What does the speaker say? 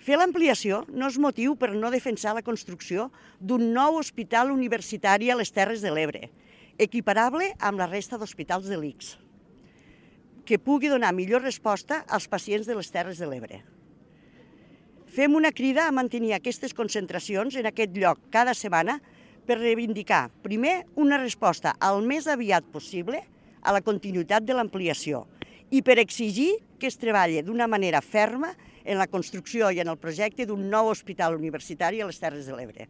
Fer l'ampliació no és motiu per no defensar la construcció d'un nou hospital universitari a les Terres de l'Ebre, equiparable amb la resta d'hospitals de l'ICS, que pugui donar millor resposta als pacients de les Terres de l'Ebre. Fem una crida a mantenir aquestes concentracions en aquest lloc cada setmana per reivindicar, primer, una resposta al més aviat possible a la continuïtat de l'ampliació i per exigir que es treballi d'una manera ferma en la construcció i en el projecte d'un nou hospital universitari a les Terres de l'Ebre.